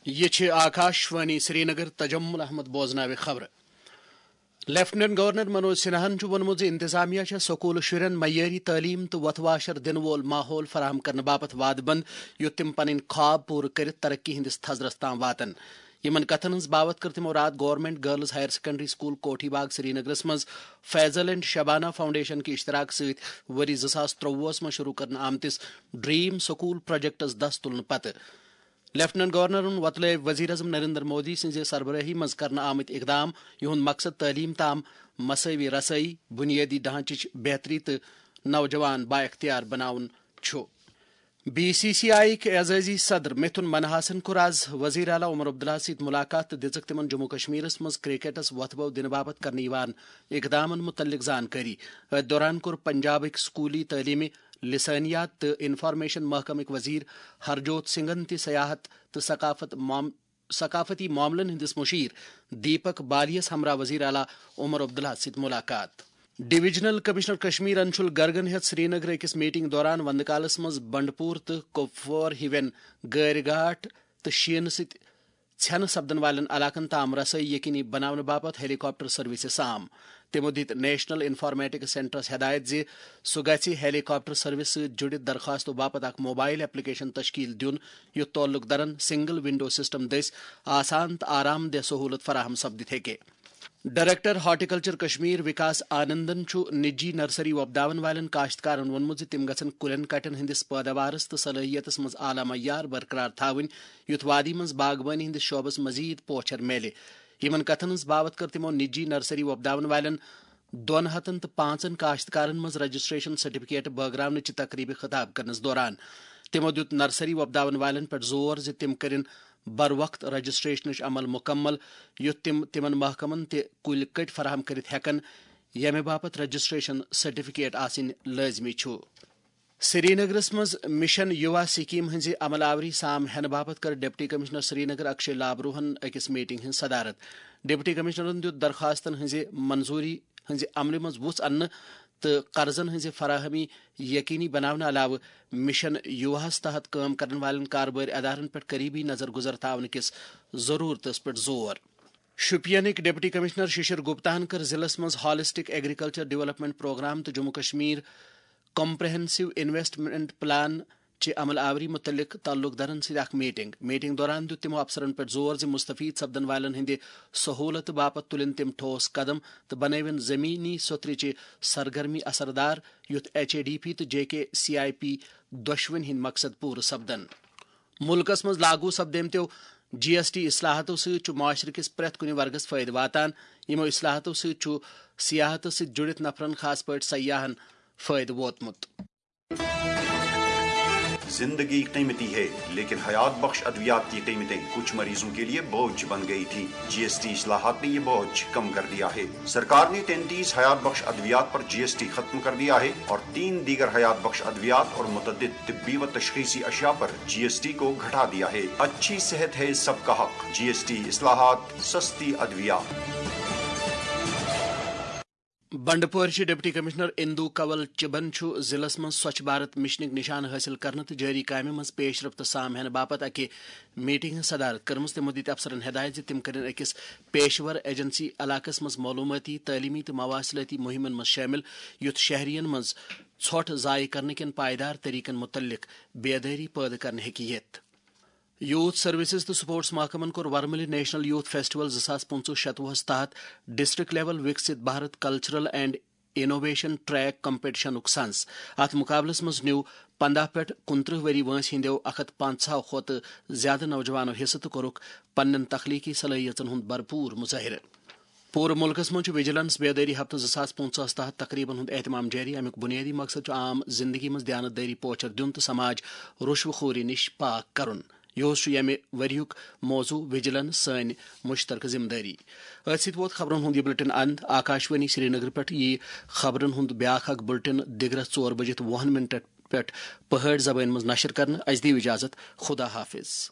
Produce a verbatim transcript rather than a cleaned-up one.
یہ چھِ آکاشوانی سرینگر۔ تجمل احمد بوزناوِ خبرٕ۔ لیفٹیننٹ گورنر منوج سنہاہن چھُ ووٚنمُت زِ انتظامیہ چھےٚ سکوٗلہٕ شُرٮ۪ن معیٲری تعلیٖم تہٕ وۄتھٕ واشر دِنہٕ وول ماحول فراہم کرنہٕ باپتھ وعدٕ بنٛد، یُتھ تِم پنٕنۍ خواب پوٗرٕ کٔرِتھ ترقی ہٕنٛدِس تھزرس تام واتن۔ یِمن کتھن ہٕنٛز باوتھ کٔر تِمو راتھ government girls higher secondary school Kothi Bagh سرینگرس منٛز فیضل اینڈ شبانہ فاؤنڈیشن کہِ اشتراک سۭتۍ ؤری زٕ ساس ترٛۆوُہس منٛز شروع کرنہٕ آمتِس ڈریم سکول پروجیکٹس دس تُلنہٕ پتہٕ۔ لیفٹیننٹ گورنرن وۄتلٲوۍ وزیر اعظم نریندر مودی سٕنٛزِ سربرٲہی منٛز کرنہٕ آمٕتۍ اقدام، یِہُنٛد مقصد تعلیٖم تام مساوی رسٲیی، بُنیٲدی ڈھانچٕچ بہتری تہٕ نوجوان بااختیار بناوُن چھُ۔ بی سی سی آئی یٕکۍ اعزازی صدر مِتھُن منہاسن کوٚر آز وزیر اعلیٰ عمر عبداللہ سۭتۍ ملاقات تہٕ دِژٕکھ تِمن جموں کشمیرس منٛز کرکٹس وۄتھٕ بو دِنہٕ باپتھ کرنہٕ یِوان اقدامن متعلق زانکٲری۔ أتھۍ دوران کوٚر پنجابٕکۍ سکولی تعلیمہِ، لسانیات تہٕ انفارمیشن محکمٕکۍ وزیر ہرجوت سنگھن تہِ سیاحت تہٕ ثقافت معام-، ثقافتی معاملن ہٕنٛدِس مشیر دیپک بالیس ہمراہ وزیر اعلیٰ عمر عبداللہ سۭتۍ ملاقات۔ ڈویژنل کمشنر کشمیر انشول گرگن ہیٚژ سرینگرٕ أکِس میٹنگ دوران وندٕ کالس منٛز بنڈپور تہٕ کپوور ہِوٮ۪ن گٲرۍ گاٹھ تہٕ شیٖنہٕ سۭتۍ ژھٮ۪نہٕ سپدن والٮ۪ن علاقن تام رسٲیی یقینی بناونہٕ باپتھ ہیلی کاپٹر سروسز عام۔ تِمو دِتۍ نیشنل انفارمیٹکس سینٹرس ہدایت زِ سُہ گژھِ ہیلی کاپٹر سروس سۭتۍ جُڑِتھ درخواستو باپتھ اکھ موبائل ایپلیکیشن تشکیل دیُن، یُتھ تعلق دارن سنگل ونڈو سسٹم دٔسۍ آسان تہٕ آرام دہ سہولت فراہم سپدِتھ ہیٚکہِ۔ ڈائریکٹر ہارٹیکلچر کشمیر وکاس آنندن چھُ نجی نرسری وۄپداون والٮ۪ن کاشتکارن ووٚنمُت زِ تِم گژھن کُلٮ۪ن کٹٮ۪ن ہٕنٛدِس پٲداوارس تہٕ صلٲحیتس منٛز اعلیٰ معیار برقرار تھاوٕنۍ، یُتھ وادی منٛز باغبٲنی ہٕنٛدِس شعبس مزید پوچھر میلہِ۔ یِمن کتھن ہٕنٛز باوتھ کٔر تِمو نجی نرسری وۄپداون والٮ۪ن دۄن ہتن تہٕ پانٛژن کاشتکارن منٛز رجسٹریشن سرٹیفکیٹ بٲگراونٕچہِ تقریبہِ خطاب کرنس دوران۔ تِمو دیُت نرسری وۄپداون والٮ۪ن پٮ۪ٹھ زور زِ تِم کٔرِن بر وقت رجسٹریشنٕچ عمل مکمل، یُتھ تِم تِمن محکمن تہِ کُلۍ کٔٹۍ فراہم کٔرِتھ ہٮ۪کن، ییٚمہِ باپتھ رجسٹریشن سرٹیفکیٹ آسٕنۍ لٲزمی چھُ۔ سرینگرس منٛز مشن یووا سکیم ہٕنٛزِ عمل آوری سام ہینہٕ باپتھ کٔر ڈپٹی کمشنر سرینگر اکشے لابروہن أکِس میٹنگ ہٕنٛز صدارت۔ ڈپٹی کمشنرن دیُت درخواستن ہٕنٛزِ منظوری ہٕنٛزِ عملہِ منٛز وُژھ اننہٕ تہٕ قرضن ہٕنٛزِ فراہمی یقینی بناونہٕ علاوٕ مشن یوواہس تحت کٲم کرن والٮ۪ن کاربٲرۍ ادارن پٮ۪ٹھ قریبی نظر گزر تھاونہٕ کِس ضرورتس پٮ۪ٹھ زور۔ شوپینٕکۍ ڈپٹی کمشنر ششر گپتاہن کٔر ضلعس منٛز ہالسٹک ایگریکلچر ڈیولپمنٹ پروگرام تہٕ Jammu Kashmir comprehensive investment plan چہِ عمل آوری متعلق تعلق دارن سۭتۍ اکھ میٹنگ۔ میٹنگ دوران دیُت تِمو افسرن پٮ۪ٹھ زور زِ مستفید سپدن والٮ۪ن ہٕنٛدِ سہولتہٕ باپتھ تُلِن تِم ٹھوس قدم تہٕ بنٲوِن زمینی سوٚترِ چہِ سرگرمی اثردار، یُتھ ایچ اے ڈی پی تہٕ J K C I P دۄشوٕنی ہٕنٛدۍ مقصد پوٗرٕ سپدن۔ مُلکَس منٛز لاگو سپدیمتیو جی ایس ٹی اصلاحاتو سۭتۍ چھُ معاشرٕ کِس پرٛٮ۪تھ کُنہِ ورگَس فٲیدٕ واتان۔ یِمو اصلاحاتو سۭتۍ چھُ سیاحتَس سۭتۍ جُڑِتھ نفرَن، خاص پٲٹھۍ سیاحَن، فٲیدٕ ووتمُت۔ زندگی قیمتی ہے، لیکن حیات بخش ادویات کی قیمتیں کچھ مریضوں کے لیے بوجھ بن گئی تھی۔ جی ایس ٹی اصلاحات نے یہ بوجھ کم کر دیا ہے۔ سرکار نے تینتیس حیات بخش ادویات پر جی ایس ٹی ختم کر دیا ہے اور تین دیگر حیات بخش ادویات اور متعدد طبی و تشخیصی اشیاء پر جی ایس ٹی کو گھٹا دیا ہے۔ اچھی صحت ہے سب کا حق، جی ایس ٹی اصلاحات، سستی ادویات۔ بنڈپورچہِ ڈپٹی کمشنر اندو کنول چبن چھُ ضلعس منٛز سوچھ بھارت مشنٕکۍ نشانہٕ حٲصِل کرنہٕ تہٕ جٲری کامہِ منٛز پیش رفت سام ہینہٕ باپتھ اکہِ میٹنگ ہٕنٛز صدارت کٔرمٕژ۔ تِمو دِتۍ افسرن ہدایت زِ تِم کٔرِن أکِس پیشور ایجنسی علاقس منٛز معلومٲتی، تعلیمی تہٕ مواصلٲتی مُہِمن منٛز شٲمِل، یُتھ شہرین منٛز ژھۄٹھ ضایع کرنہٕ کٮ۪ن پائیدار طریقن مُتعلق بیدٲری پٲدٕ کرنہٕ ہیٚکہِ یِتھ۔ یوتھ سروسز تہٕ سپورٹس محکمن کوٚر ورمُلہِ نیشنل یوتھ فیسٹیول زٕ ساس پٕنٛژٕہ شتوُہس تحت district level Viksit Bharat cultural and innovation track کمپٹیشنُک سنز۔ اتھ مقابلس منٛز نیوٗ پنداہ پٮ۪ٹھ کُنترٕہ ؤری وٲنٛسہِ ہٕنٛدیو اکھ ہتھ پنژاہ کھۄتہٕ زیادٕ نوجوانو حصہٕ تہٕ کوٚرُکھ پننٮ۪ن تخلیقی صلٲحیژن ہُنٛد بھرپوٗر مظٲہرٕ۔ پوٗرٕ مُلکَس منٛز چھُ وجیلنس بیدٲری ہفتہٕ زٕ ساس پٕنٛژٕہس تحت تقریبن ہُنٛد اہتمام جٲری۔ اَمیُک بُنیٲدی مقصد چھُ عام زِندگی منٛز دیانت دٲری پوچھر دیُن تہٕ سماج رُشوٕ خوری نِش پاک کرُن۔ یِہُس چھُ ییٚمہِ ؤریُک موضوع وجیلنس، سٲنۍ مشترکہٕ ذمہٕ دٲری۔ أتھۍ سۭتۍ ووت خبرن ہُنٛد یہِ بُلٹن اند۔ آکاشوانی سرینگر پٮ۪ٹھ یِیہِ خبرن ہُنٛد بیٛاکھ اکھ بُلٹن دِگرس ژور بجِتھ وُہن منٹن پٮ۪ٹھ پہٲڑۍ زبٲنۍ منٛز نشر کرنہٕ۔ اَسہِ دِیِو اجازت۔ خدا حافظ۔